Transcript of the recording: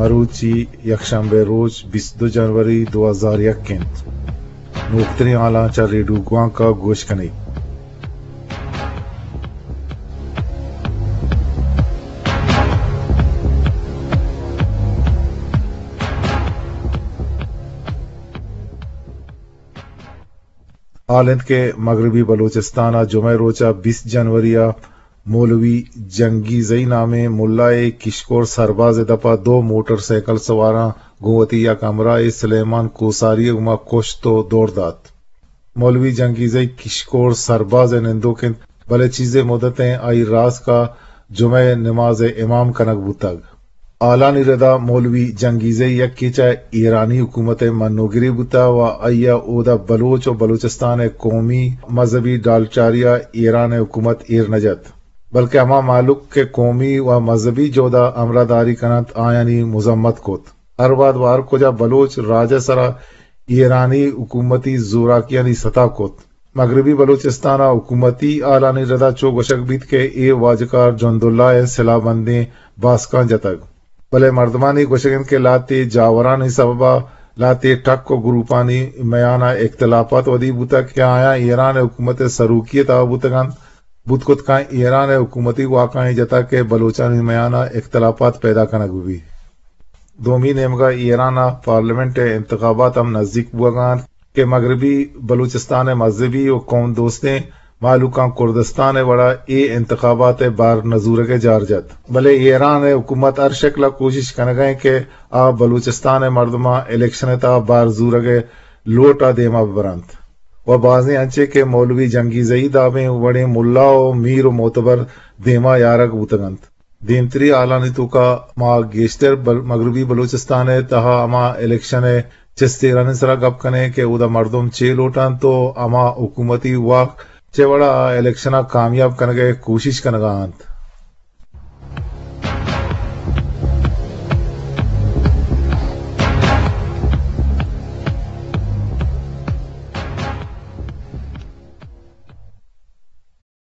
مروچی یکشنبہ روچ بیست دو جنوری دو ہزار یک انت۔ نوکتریں حالاں چہ ریڈیو گوانک ءَ گوش کنئے۔ حال انت کہ مغربی بلوچستان ءَ جمعہ روچ ءَ بیست جنوری ءَ مولوی جنگیزئی نامیں ملائے کشکور سرباز ءِ دپ ءَ دو موٹر سائیکل سواراں گوں وتی یک ہمراہے سلیمان کوساری ءَ گوما کشت ءُ دور دات۔ مولوی جنگیزئی کشکور سرباز ءِ نندوک انت، بلے چیزے مدتیں آئی راسک ءَ جمعہ ءِ نماز ءِ امام کنگ بوتگ۔ حالانی ردا مولوی جنگیزئی یکے چہ ایرانی حکومت ءِ منوگرے بوتہ ءُ آئی ءَ اودا بلوچ ءُ بلوچستان ءِ قومی مذہبی ڈالچاری ءَ ایران ءِ حکومت ایر نہ جت، بلکہ ہما مہلوک کہ قومی ءُ مذہبی جہد ءَ ہمراہداری کن انت، آیانی مذمت کت۔ ہر وہد ءُ ہر کجا بلوچ راج ءِ سرا ایرانی حکومتی زوراکیانی ستا کت۔ مغربی بلوچستان ءَ حکومتی حالانی ردا چو گوشگ بیت کہ اے واجکار جنداللہ ءِ سلاہ بندیں باسکاں جتگ، بلے مردمانی گوشگ انت کہ لہتے جاورانی سبب ءَ لہتے ٹک ءُ گروپانی میان ءَ اختلافات ودی بوتگ کہ آیاں ایران ءِ حکومت ءِ سروکی ءِ تہا بوتگ انت، بوت کت کن ایران ءِ حکومتی واکانی جتگ کہ بلوچانی میان ءَ اختلافات پیدا کنگ بہ بیت۔ دومی نیمگ ءَ ایران ءِ پارلیمنٹ ءِ انتخابات ہم نزیک بوگ ءَ انت کہ مغربی بلوچستان ءِ مذہبی ءُ قوم دوستیں مہلوکاں کردستان ءِ وڑا اے انتخابات ءِ بار نہ زورگ ءِ جار جت، بلے ایران ءِ حکومت ہر شکل ءَ کوشش کنگ ءَ انت کہ آ بلوچستان ءِ مردماں الیکشن ءِ تہا بار زورگ ءِ لوٹ ءَ دیما بہ برنت ءُ بازیں انچیں کہ مولوی جنگیزئی دابیں وڑیں ملا ءُ میر ءُ معتبر دیما یارگ بوتگ انت۔ دیمتری حالانی توکا ما گیشتر بل-، مغربی بلوچستان ءِ تہا ہما الیکشن ءِ چست ایرانی سرا گپ کنیں کہ اودا مردم چے لوٹنت ءُ ہما حکومتی واک چے وڑا آ الیکشن ءَ کامیاب کنگ ءِ کوشش کنگ ءَ انت۔